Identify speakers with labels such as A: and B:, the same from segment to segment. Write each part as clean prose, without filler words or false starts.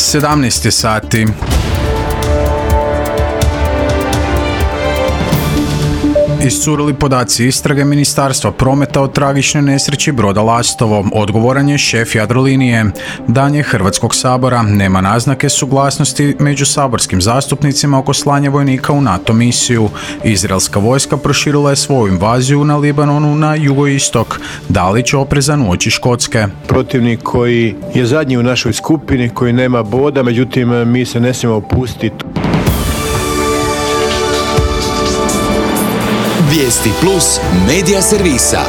A: 17 sati. Iscurili podaci istrage Ministarstva prometa o tragičnoj nesreći broda Lastovo. Odgovoran je šef Jadrolinije. Dan je Hrvatskog sabora. Nema naznake suglasnosti među saborskim zastupnicima oko slanja vojnika u NATO misiju. Izraelska vojska proširila je svoju invaziju na Libanonu na jugoistok. Dalić oprezan uoči Škotske.
B: Protivnik koji je zadnji u našoj skupini, koji nema boda, međutim mi se ne smijemo opustiti.
C: Vijesti plus medija servisa.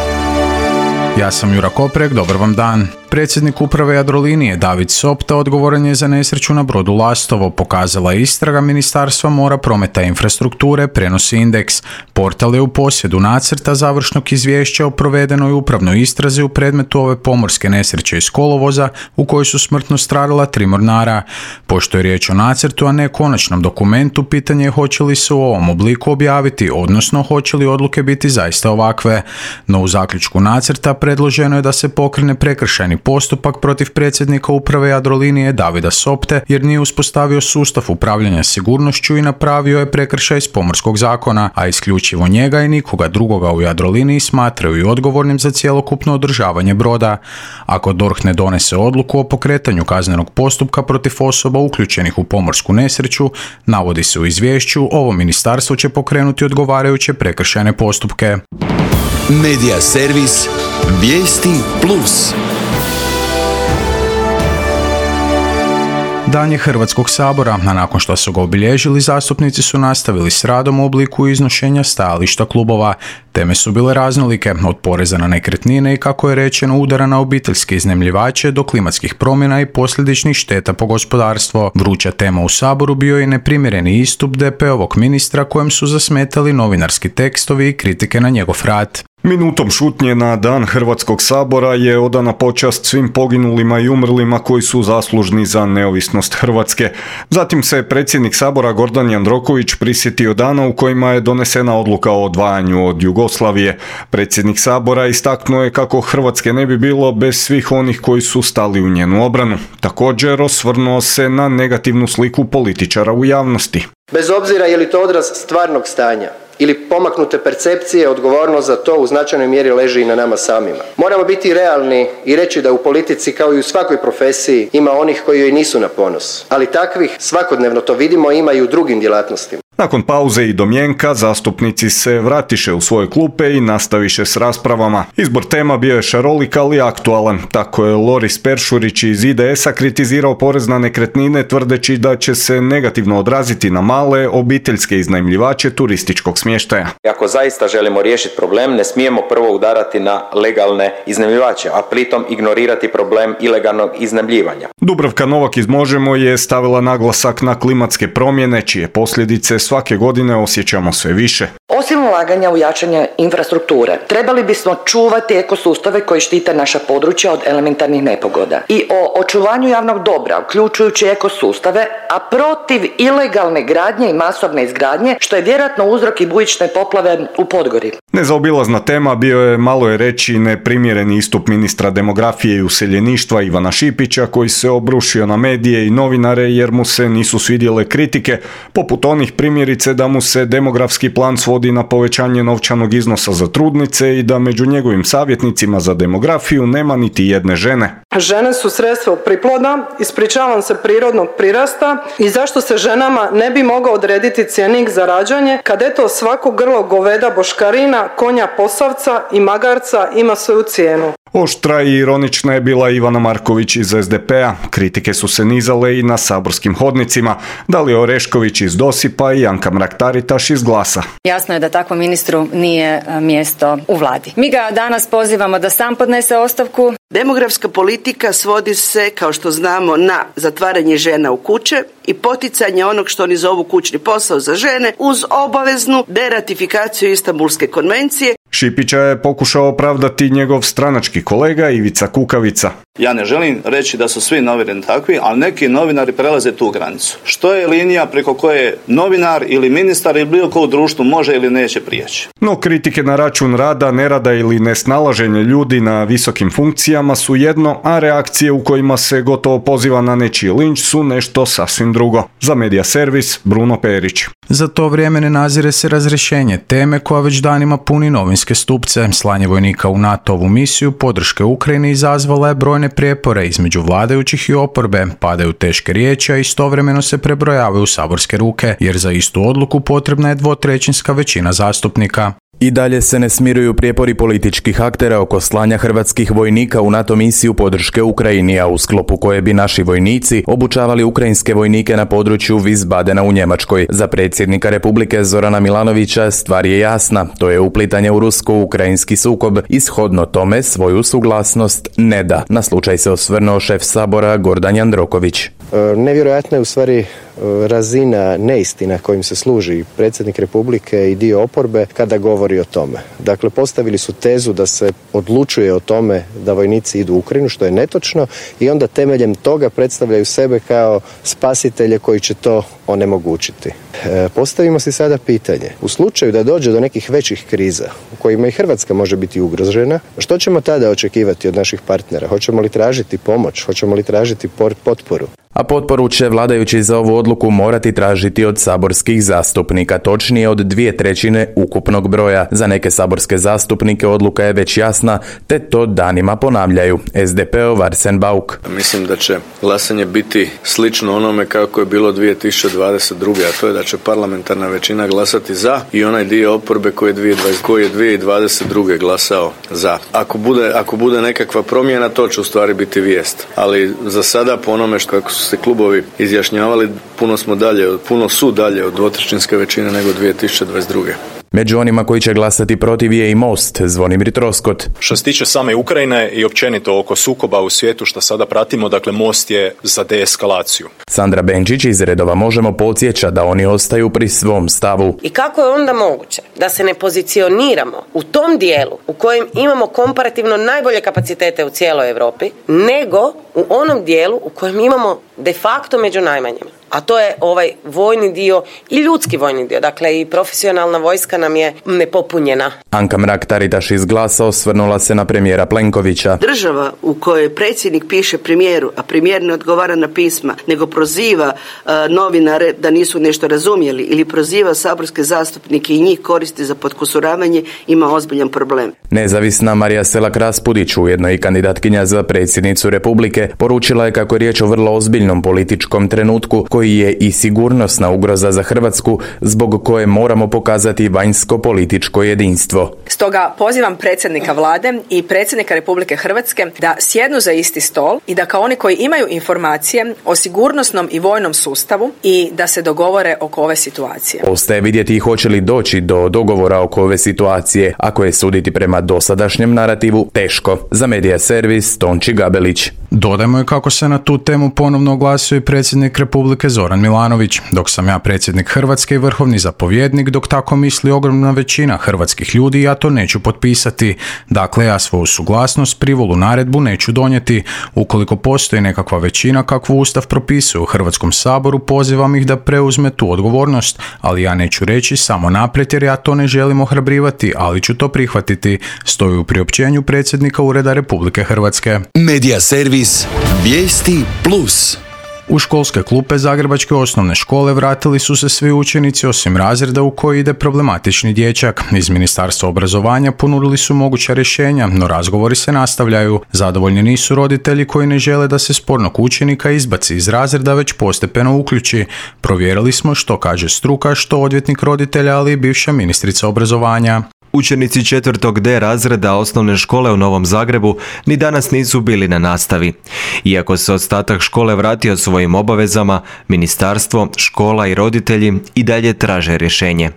A: Ja sam Jura Koprek, dobar vam dan. Predsjednik uprave Jadrolinije David Sopta odgovoran je za nesreću na brodu Lastovo, pokazala je istraga Ministarstva mora, prometa i infrastrukture, prenosi Indeks. Portal je u posjedu nacrta završnog izvješća o provedenoj upravnoj istrazi u predmetu ove pomorske nesreće iz kolovoza u kojoj su smrtno stradala 3 mornara. Pošto je riječ o nacrtu, a ne konačnom dokumentu, pitanje je hoće li se u ovom obliku objaviti, odnosno hoće li odluke biti zaista ovakve. No u zaključku nacrta predloženo je da se pokrene prekršajni postupak protiv predsjednika uprave Jadrolinije Davida Sopte jer nije uspostavio sustav upravljanja sigurnošću i napravio je prekršaj iz pomorskog zakona, a isključivo njega i nikoga drugoga u Jadroliniji smatraju i odgovornim za cjelokupno održavanje broda. Ako DORH ne donese odluku o pokretanju kaznenog postupka protiv osoba uključenih u pomorsku nesreću, navodi se u izvješću, ovo ministarstvo će pokrenuti odgovarajuće prekršajne postupke.
C: Medija servis Vijesti plus.
A: Dan je Hrvatskog sabora, a nakon što su ga obilježili, zastupnici su nastavili s radom u obliku iznošenja stajališta klubova. Teme su bile raznolike, od poreza na nekretnine i, kako je rečeno, udara na obiteljske iznajmljivače do klimatskih promjena i posljedičnih šteta po gospodarstvo. Vruća tema u Saboru bio je neprimjereni istup DP-ovog ministra kojem su zasmetali novinarski tekstovi i kritike na njegov rad.
D: Minutom šutnje na Dan Hrvatskog sabora je odana počast svim poginulima i umrlima koji su zaslužni za neovisnost Hrvatske. Zatim se predsjednik Sabora Gordan Jandroković prisjetio dana u kojima je donesena odluka o odvajanju od Jugoslavije. Predsjednik Sabora istaknuo je kako Hrvatske ne bi bilo bez svih onih koji su stali u njenu obranu. Također osvrnuo se na negativnu sliku političara u javnosti.
E: Bez obzira je li to odraz stvarnog stanja ili pomaknute percepcije, odgovornost za to u značajnoj mjeri leži i na nama samima. Moramo biti realni i reći da u politici, kao i u svakoj profesiji, ima onih koji joj nisu na ponos. Ali takvih, svakodnevno to vidimo, ima i u drugim djelatnostima.
D: Nakon pauze i domjenka, zastupnici se vratiše u svoje klupe i nastaviše s raspravama. Izbor tema bio je šarolik, ali aktualan. Tako je Loris Peršurić iz IDS-a kritizirao porez na nekretnine, tvrdeći da će se negativno odraziti na male obiteljske iznajmljivače turističkog smještaja.
F: Ako zaista želimo riješiti problem, ne smijemo prvo udarati na legalne iznajmljivače, a pritom ignorirati problem ilegalnog iznajmljivanja.
D: Dubravka Novak iz Možemo je stavila naglasak na klimatske promjene, čije posljedice svake godine osjećamo sve više.
G: Osim ulaganja u jačanje infrastrukture, trebali bismo čuvati ekosustave koji štite naša područja od elementarnih nepogoda. I o očuvanju javnog dobra, uključujući ekosustave, a protiv ilegalne gradnje i masovne izgradnje, što je vjerojatno uzrok i bujične poplave u Podgori.
D: Nezaobilazna tema bio je, malo je reći, neprimjereni istup ministra demografije i useljeništva Ivana Šipića, koji se obrušio na medije i novinare jer mu se nisu svidjele kritike, poput onih primjerice da mu se demografski plan svodi na povećanje novčanog iznosa za trudnice i da među njegovim savjetnicima za demografiju nema niti jedne žene.
H: Žene su sredstvo priploda, ispričavam se, prirodnog prirasta i zašto se ženama ne bi mogao odrediti cjenik za rađanje kad eto svako grlo goveda boškarina, konja posavca i magarca ima svoju cijenu.
D: Oštra i ironična je bila Ivana Marković iz SDP-a. Kritike su se nizale i na saborskim hodnicima. Dalija Orešković iz Dosipa i Anka Mrak-Taritaš iz Glasa.
I: Jasno je da takvom ministru nije mjesto u vladi. Mi ga danas pozivamo da sam podnese ostavku.
J: Demografska politika svodi se, kao što znamo, na zatvaranje žena u kuće i poticanje onog što oni zovu kućni posao za žene uz obaveznu deratifikaciju Istanbulske konvencije.
D: Šipića je pokušao opravdati njegov stranački kolega Ivica Kukavica.
K: Ja ne želim reći da su svi novinari takvi, ali neki novinari prelaze tu granicu. Što je linija preko koje novinar ili ministar ili bilo ko u društvu može ili neće prijeći?
D: No kritike na račun rada, nerada ili nesnalaženje ljudi na visokim funkcijama su jedno, a reakcije u kojima se gotovo poziva na nečiji linč su nešto sasvim drugo. Za Medija servis, Bruno Perić.
A: Za to vrijeme ne nazire se razrješenje teme koja već danima puni novinske stupce. Slanje vojnika u NATO-ovu misiju podrške Ukrajini izazvala je brojne prijepore između vladajućih i oporbe, padaju teške riječi, a istovremeno se prebrojavaju saborske ruke, jer za istu odluku potrebna je dvotrećinska većina zastupnika.
L: I dalje se ne smiruju prijepori političkih aktera oko slanja hrvatskih vojnika u NATO misiju podrške Ukrajini, a u sklopu koje bi naši vojnici obučavali ukrajinske vojnike na području Wiesbadena u Njemačkoj. Za predsjednika Republike Zorana Milanovića stvar je jasna, to je uplitanje u rusko-ukrajinski sukob i shodno tome svoju suglasnost ne da. Na slučaj se osvrnuo šef Sabora Gordan Jandroković.
E: Nevjerojatna je u stvari razina neistina kojim se služi predsjednik Republike i dio oporbe kada govori o tome. Dakle, postavili su tezu da se odlučuje o tome da vojnici idu u Ukrajinu, što je netočno, i onda temeljem toga predstavljaju sebe kao spasitelje koji će to onemogućiti. Postavimo si sada pitanje. U slučaju da dođe do nekih većih kriza u kojima i Hrvatska može biti ugrožena, što ćemo tada očekivati od naših partnera? Hoćemo li tražiti pomoć? Hoćemo li tražiti potporu?
L: A potporu će vladajući za ovu odluku morati tražiti od saborskih zastupnika, točnije od 2/3 ukupnog broja. Za neke saborske zastupnike odluka je već jasna, te to danima ponavljaju. SDP-ov Arsen Bauk.
M: Mislim da će glasanje biti slično onome kako je bilo 2022. a to je da će parlamentarna većina glasati za i onaj dio oporbe koji je 2022. glasao za. Ako bude nekakva promjena, to će u stvari biti vijest. Ali za sada, po onome kako su se klubovi izjašnjavali, puno su dalje od dvotrećinske većine nego 2022.
L: Među onima koji će glasati protiv je i Most, Zvonimir Troskot.
N: Što se tiče same Ukrajine i općenito oko sukoba u svijetu što sada pratimo, dakle Most je za deeskalaciju.
L: Sandra Benčić iz redova Možemo podsjeća da oni ostaju pri svom stavu.
O: I kako je onda moguće da se ne pozicioniramo u tom dijelu u kojem imamo komparativno najbolje kapacitete u cijeloj Europi, nego u onom dijelu u kojem imamo de facto među najmanjima? A to je ovaj vojni dio i ljudski vojni dio. Dakle, i profesionalna vojska nam je nepopunjena.
L: Anka Mrak-Taritaš iz Glasa osvrnula se na premijera Plenkovića.
J: Država u kojoj predsjednik piše premijeru, a premijer ne odgovara na pisma, nego proziva novinare da nisu nešto razumjeli ili proziva saborske zastupnike i njih koristi za potkusuravanje, ima ozbiljan problem.
L: Nezavisna Marija Selak-Raspudić, ujedno i kandidatkinja za predsjednicu Republike, poručila je kako je riječ o vrlo ozbiljnom političkom trenutku koji je i sigurnosna ugroza za Hrvatsku, zbog koje moramo pokazati vanjsko-političko jedinstvo.
P: Stoga pozivam predsjednika vlade i predsjednika Republike Hrvatske da sjednu za isti stol i da kao oni koji imaju informacije o sigurnosnom i vojnom sustavu i da se dogovore oko ove situacije.
L: Ostaje vidjeti hoće li doći do dogovora oko ove situacije, ako je suditi prema dosadašnjem narativu teško. Za Medija servis Tonči Gabelić.
A: Dodajmo je kako se na tu temu ponovno oglasio i predsjednik Republike Zoran Milanović. Dok sam ja predsjednik Hrvatske i vrhovni zapovjednik, dok tako misli ogromna većina hrvatskih ljudi, ja to neću potpisati. Dakle, ja svoju suglasnost, privolu, naredbu neću donijeti. Ukoliko postoji nekakva većina kakvu Ustav propisuje u Hrvatskom saboru, pozivam ih da preuzme tu odgovornost, ali ja neću reći samo naprijed jer ja to ne želim ohrabrivati, ali ću to prihvatiti, stoji u priopćenju predsjednika Ureda Republike Hrvatske.
C: Medija servis Vijesti Plus.
A: U školske klupe Zagrebačke osnovne škole vratili su se svi učenici osim razreda u koji ide problematični dječak. Iz Ministarstva obrazovanja ponudili su moguća rješenja, no razgovori se nastavljaju. Zadovoljni nisu roditelji koji ne žele da se spornog učenika izbaci iz razreda, već postepeno uključi. Provjerili smo što kaže struka, što odvjetnik roditelja, ali i bivša ministrica obrazovanja.
Q: Učenici 4. D razreda osnovne škole u Novom Zagrebu ni danas nisu bili na nastavi. Iako se ostatak škole vratio svojim obavezama, ministarstvo, škola i roditelji i dalje traže rješenje.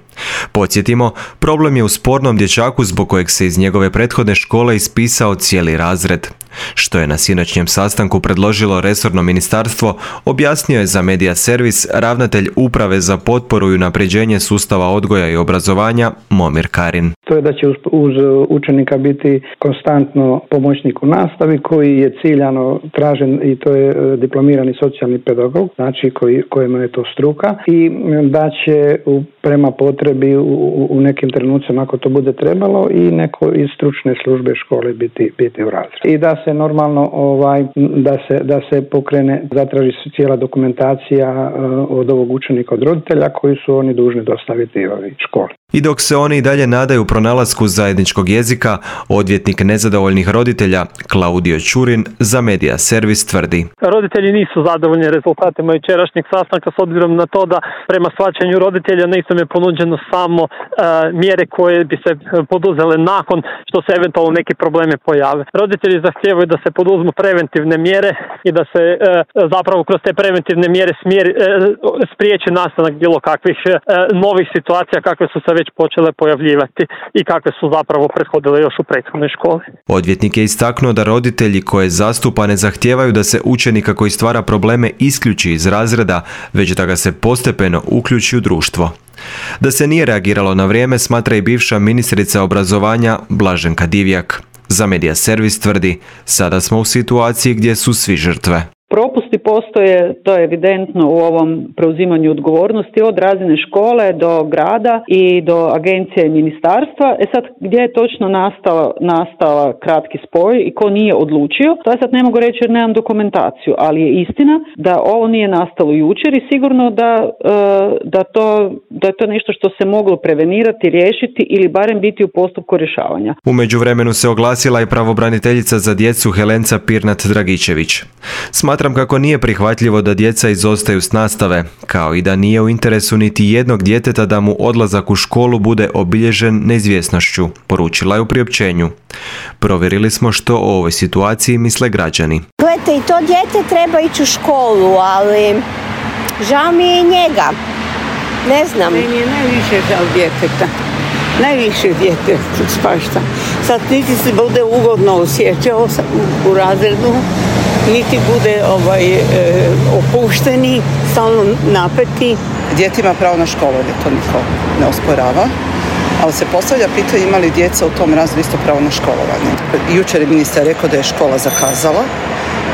Q: Podsjetimo, problem je u spornom dječaku zbog kojeg se iz njegove prethodne škole ispisao cijeli razred. Što je na sinoćnjem sastanku predložilo resorno ministarstvo, objasnio je za Medija servis ravnatelj Uprave za potporu i unapređenje sustava odgoja i obrazovanja Momir Karin.
R: To je da će uz učenika biti konstantno pomoćnik u nastavi koji je ciljano tražen i to je diplomirani socijalni pedagog, znači kojima je to struka, i da će prema potrebi u nekim trenucima ako to bude trebalo i neko iz stručne službe škole biti u razredu. I da se normalno da se pokrene, zatraži se cijela dokumentacija od ovog učenika, od roditelja koji su oni dužni dostaviti školi.
Q: I dok se oni i dalje nadaju pronalasku zajedničkog jezika, odvjetnik nezadovoljnih roditelja Klaudio Čurin za Medija servis tvrdi:
S: roditelji nisu zadovoljni rezultatima jučerašnjeg sastanka s obzirom na to da prema shvaćanju roditelja nisu je ponuđeno samo mjere koje bi se poduzele nakon što se eventualno neki problemi pojave. Roditelji zahtijevaju da se poduzmu preventivne mjere i da se zapravo kroz te preventivne mjere spriječi nastanak bilo kakvih novih situacija kakve su se već počele pojavljivati i kakve su zapravo prethodile još u prethodnoj školi.
Q: Odvjetnik je istaknuo da roditelji koje zastupa ne zahtijevaju da se učenika koji stvara probleme isključi iz razreda, već da ga se postepeno uključi u društvo. Da se nije reagiralo na vrijeme smatra i bivša ministrica obrazovanja Blaženka Divjak. Za Medija servis tvrdi: sada smo u situaciji gdje su svi žrtve.
T: Propusti postoje, to je evidentno u ovom preuzimanju odgovornosti od razine škole do grada i do agencije i ministarstva. Sad, gdje je točno nastala kratki spoj i ko nije odlučio, to ja sad ne mogu reći jer nemam dokumentaciju, ali je istina da ovo nije nastalo jučer i sigurno da je to nešto što se moglo prevenirati, riješiti ili barem biti u postupku rješavanja.
Q: U međuvremenu se oglasila i pravobraniteljica za djecu Helenca Pirnat Dragičević. Smatram kako nije prihvatljivo da djeca izostaju s nastave, kao i da nije u interesu niti jednog djeteta da mu odlazak u školu bude obilježen neizvjesnošću, poručila je u priopćenju. Provjerili smo što o ovoj situaciji misle građani.
U: Gledajte, i to dijete treba ići u školu, ali žao mi je njega. Ne znam.
V: Meni je najviše žao djeteta. Najviše dijete spašta. Sad niti se bude ugodno osjećao u razredu, niti bude opušteni, stalno napeti.
W: Dijete ima pravo na školovanje, to niko ne osporava, ali se postavlja pitanje ima li djeca u tom razredu isto pravo na školovanje. Jučer je ministar rekao da je škola zakazala.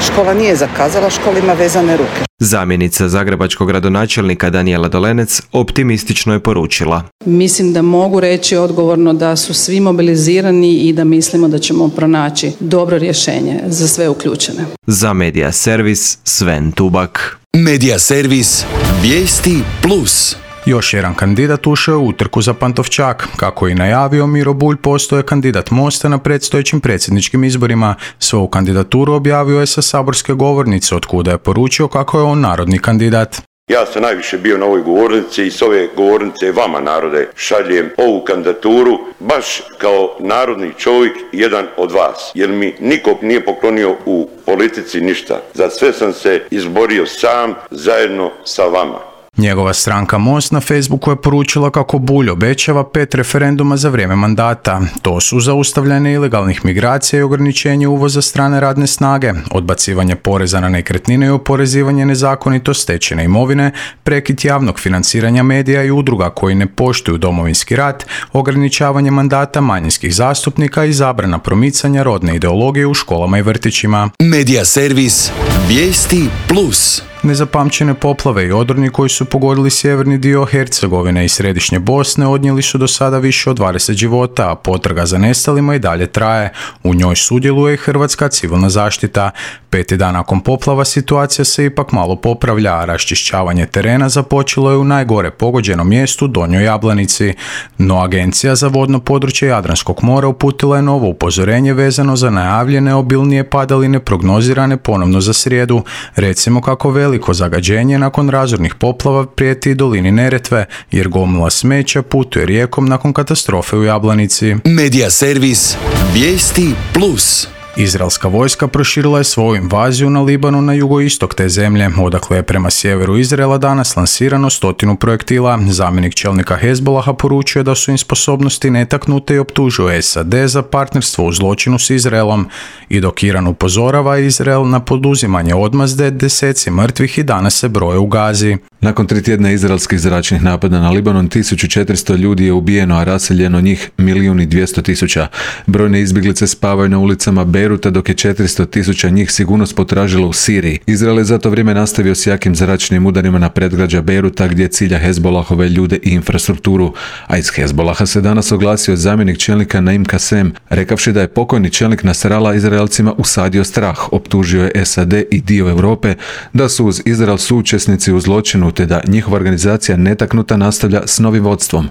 W: Škola nije zakazala, škola ima vezane ruke.
Q: Zamjenica zagrebačkog gradonačelnika Danijela Dolenec optimistično je poručila:
X: mislim da mogu reći odgovorno da su svi mobilizirani i da mislimo da ćemo pronaći dobro rješenje za sve uključene.
Q: Za Medija servis Sven Tubak.
C: Medija servis Vijesti Plus.
A: Još jedan kandidat ušao je u utrku za Pantovčak. Kako je i najavio Miro Bulj, postoje kandidat Mosta na predstojećim predsjedničkim izborima. Svoju kandidaturu objavio je sa saborske govornice, od kuda je poručio kako je on narodni kandidat.
Y: Ja sam najviše bio na ovoj govornici i s ove govornice vama, narode, šaljem ovu kandidaturu baš kao narodni čovjek, jedan od vas. Jer mi niko nije poklonio u politici ništa. Za sve sam se izborio sam, zajedno sa vama.
A: Njegova stranka Most na Facebooku je poručila kako Bulj obećava 5 referenduma za vrijeme mandata. To su zaustavljanje ilegalnih migracija i ograničenje uvoza strane radne snage, odbacivanje poreza na nekretnine i oporezivanje nezakonito stečene imovine, prekid javnog financiranja medija i udruga koji ne poštuju Domovinski rat, ograničavanje mandata manjinskih zastupnika i zabrana promicanja rodne ideologije u školama i vrtićima.
C: Medija servis Vijesti Plus.
A: Nezapamćene poplave i odroni koji su pogodili sjeverni dio Hercegovine i središnje Bosne odnijeli su do sada više od 20 života, a potraga za nestalima i dalje traje. U njoj sudjeluje i Hrvatska civilna zaštita. 5. dan nakon poplava situacija se ipak malo popravlja, a raščišćavanje terena započelo je u najgore pogođenom mjestu Donjoj Jablanici. No Agencija za vodno područje Jadranskog mora uputila je novo upozorenje vezano za najavljene obilnije padaline prognozirane ponovno za srijedu. Recimo kako veliko zagađenje nakon razornih poplava prijeti i dolini Neretve, jer gomila smeća putuje rijekom nakon katastrofe u Jablanici.
C: Medija servis Vijesti Plus.
A: Izraelska vojska proširila je svoju invaziju na Libanu na jugoistok te zemlje, odakle je prema sjeveru Izraela danas lansirano 100 projektila. Zamjenik čelnika Hezbolaha poručuje da su im sposobnosti netaknute i optužuje SAD za partnerstvo u zločinu s Izraelom, i dok Iran upozorava Izrael na poduzimanje odmazde, deseci mrtvih i danas se broje u Gazi.
B: Nakon 3 tjedna izraelskih zračnih napada na Libanon, 1400 ljudi je ubijeno, a raseljeno njih 1.200.000. Brojne izbjeglice spavaju na ulicama Beiruta, dok je 400.000 njih sigurnost potražilo u Siriji. Izrael je za to vrijeme nastavio s jakim zračnim udarima na predgrađa Beiruta, gdje cilja Hezbolahove ljude i infrastrukturu. A iz Hezbolaha se danas oglasio zamjenik čelnika Naim Kasem, rekavši da je pokojni čelnik Nasrala Izraelcima usadio strah. Optužio je SAD i dio Europe da su uz Izrael suučesnici u zločinu, te da njihova organizacija netaknuta nastavlja s novim vodstvom.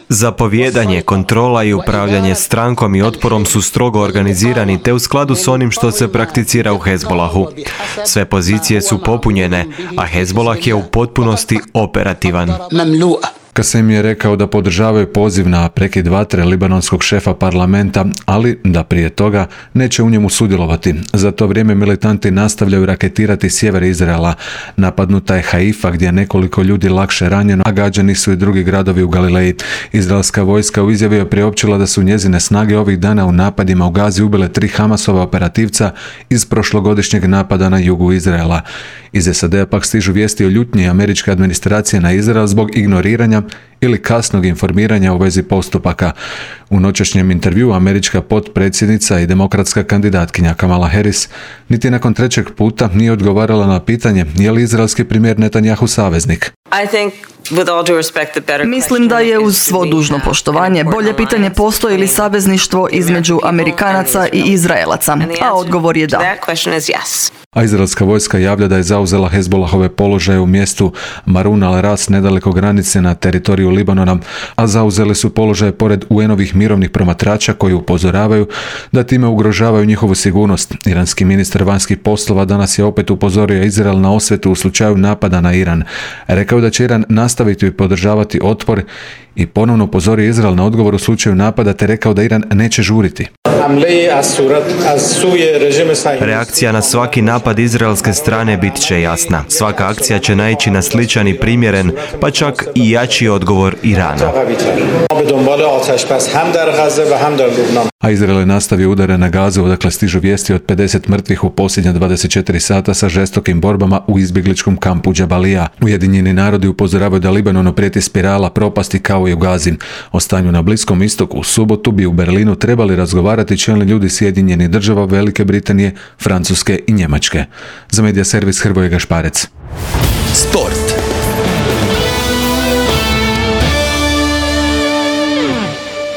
Q: Zapovijedanje, kontrola i upravljanje strankom i otporom su strogo organizirani te u skladu s onim što se prakticira u Hezbolahu. Sve pozicije su popunjene, a Hezbolah je u potpunosti operativan.
B: Kasem je rekao da podržavaju poziv na prekid vatre libanonskog šefa parlamenta, ali da prije toga neće u njemu sudjelovati. Za to vrijeme militanti nastavljaju raketirati sjever Izraela. Napadnuta je Haifa, gdje je nekoliko ljudi lakše ranjeno, a gađani su i drugi gradovi u Galileji. Izraelska vojska u izjavi je priopćila da su njezine snage ovih dana u napadima u Gazi ubile 3 Hamasova operativca iz prošlogodišnjeg napada na jugu Izraela. Iz SAD-a pak stižu vijesti o ljutnji američke administracije na Izrael zbog ignoriranja ili kasnog informiranja u vezi postupaka. U noćašnjem intervjuu američka potpredsjednica i demokratska kandidatkinja Kamala Harris niti nakon 3. puta nije odgovarala na pitanje je li izraelski premijer Netanjahu saveznik.
F: Mislim da je uz svo dužno poštovanje bolje pitanje postoji li savezništvo između Amerikanaca i Izraelaca, a odgovor je da.
B: A izraelska vojska javlja da je zauzela Hezbolahove položaje u mjestu Marun al-Ras nedaleko granice na teritoriju Libanona, a zauzeli su položaje pored UN-ovih mirovnih promatrača koji upozoravaju da time ugrožavaju njihovu sigurnost. Iranski ministar vanjskih poslova danas je opet upozorio Izrael na osvetu u slučaju napada na Iran. Rekao da će Iran nastaviti podržavati otpor i ponovno upozorio Izrael na odgovor u slučaju napada, te rekao da Iran neće žuriti.
Q: Reakcija na svaki napad izraelske strane bit će jasna. Svaka akcija će naići na sličan i primjeren, pa čak i jači odgovor Irana.
B: A Izrael je nastavio udare na Gazu, odakle stižu vijesti od 50 mrtvih u posljednja 24 sata sa žestokim borbama u izbjegličkom kampu Džabalija. Ujedinjeni narodi upozoravaju da Libanonu prijeti spirala propasti kao i u Gazi. O stanju na Bliskom istoku u subotu bi u Berlinu trebali razgovarati čelni ljudi Sjedinjenih Država, Velike Britanije, Francuske i Njemačke. Za medija servis Hrvoje Gašparec.
C: Sport.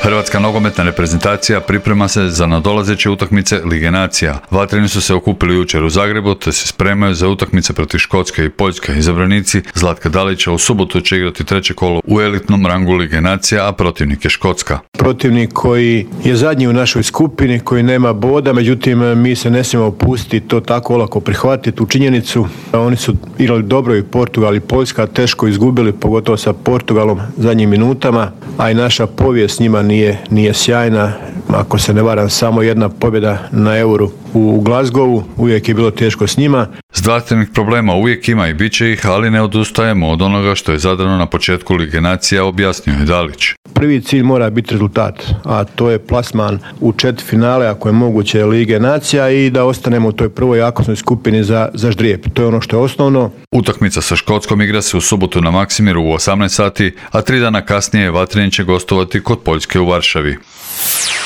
G: Hrvatska nogometna reprezentacija priprema se za nadolazeće utakmice Lige nacija. Vatreni su se okupili jučer u Zagrebu te se spremaju za utakmice protiv Škotske i Poljske. Izabranici Zlatka Dalića u subotu će igrati 3. kolo u elitnom rangu Lige nacija, a protivnik je Škotska.
H: Protivnik koji je zadnji u našoj skupini, koji nema boda, međutim mi se ne smijemo opustiti, to tako olako prihvatiti u činjenicu. Oni su igrali dobro i Portugal i Poljska, teško izgubili, pogotovo sa Portugalom zadnjim minutama, a i naša povijest njima nije sjajna. Ako se ne varam, samo jedna pobjeda na Euru u Glasgowu, uvijek je bilo teško s njima.
G: Zdravstvenih problema uvijek ima i bit će ih, ali ne odustajemo od onoga što je zadano na početku Lige nacija, objasnio je Dalić.
H: Prvi cilj mora biti rezultat, a to je plasman u četvrtfinale, ako je moguće, Lige nacija i da ostanemo u toj prvoj jakosnoj skupini za ždrijeb. To je ono što je osnovno.
G: Utakmica sa Škotskom igra se u subotu na Maksimiru u 18 sati, a 3 dana kasnije Vatreni će gostovati kod Poljske u Varšavi.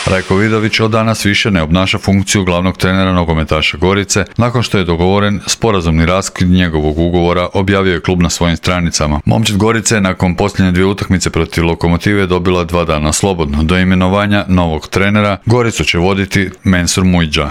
G: Rajko Vidović od danas više ne obnaša funkciju glavnog trenera nogometaša Gorice, nakon što je dogovoren sporazumni raskid njegovog ugovora, objavio je klub na svojim stranicama. Momčad Gorice je nakon posljednje 2 utakmice protiv Lokomotive dobila 2 dana slobodno. Do imenovanja novog trenera Goricu će voditi Mensur Mujdža.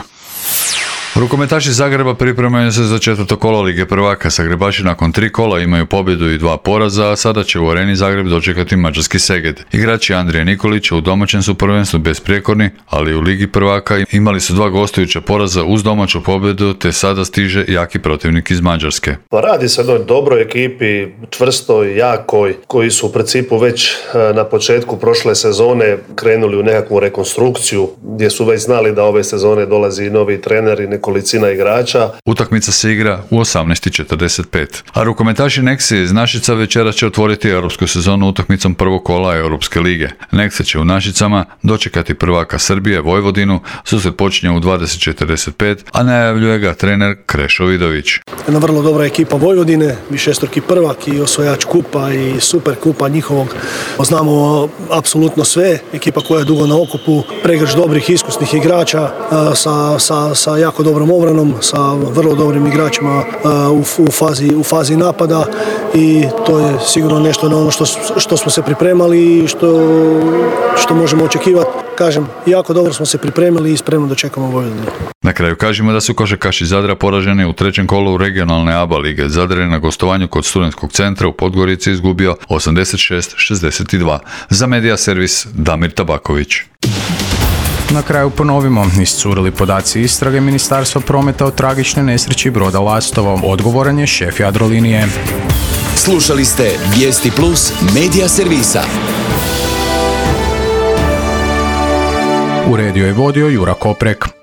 G: Rukometaši Zagreba pripremaju se za četvrto kolo Lige prvaka. Zagrebaši nakon 3 kola imaju pobjedu i 2 poraza, a sada će u Areni Zagreb dočekati mađarski Szeged. Igrači Andrije Nikolića u domaćem su prvenstvu besprijekorni, ali u Ligi prvaka imali su 2 gostujuća poraza uz domaću pobjedu, te sada stiže jaki protivnik iz Mađarske.
D: Radi se o jednoj dobroj ekipi, čvrstoj, jakoj, koji su u principu već na početku prošle sezone krenuli u nekakvu rekonstrukciju, gdje su već znali da ove sezone dolazi i novi trener i nekolicina igrača.
G: Utakmica se igra u 18:45. A rukometaši Nexe iz Našica večera će otvoriti europsku sezonu utakmicom prvog kola Europske lige. Nexe će u Našicama dočekati prvaka Srbije Vojvodinu, susret počinje u 20:45, a najavljuje ga trener Krešo Vidović.
E: Jedna vrlo dobra ekipa Vojvodine, višestruki prvak i osvajač kupa i super kupa njihovog. Znamo apsolutno sve, ekipa koja je dugo na okupu, pregršt dobrih iskusnih igrača sa jako dobrom obranom, sa vrlo dobrim igračima u fazi napada i to je sigurno nešto na ono što smo se pripremali i što možemo očekivati. Kažem, jako dobro smo se pripremili i spremno dočekamo Vojvodinu.
G: Na kraju kažemo da su košarkaši Zadra poraženi u 3. kolu regionalne ABA lige. Zadar je na gostovanju kod Studentskog centra u Podgorici izgubio 86-62. Za Medija servis Damir Tabaković.
A: Na kraju ponovimo, iscurili podaci istrage Ministarstva prometa o tragičnoj nesreći broda Lastovo. Odgovoran je šef Jadrolinije.
C: Slušali ste Vijesti Plus Medija servisa.
A: Uredio je vodio Jura Koprek.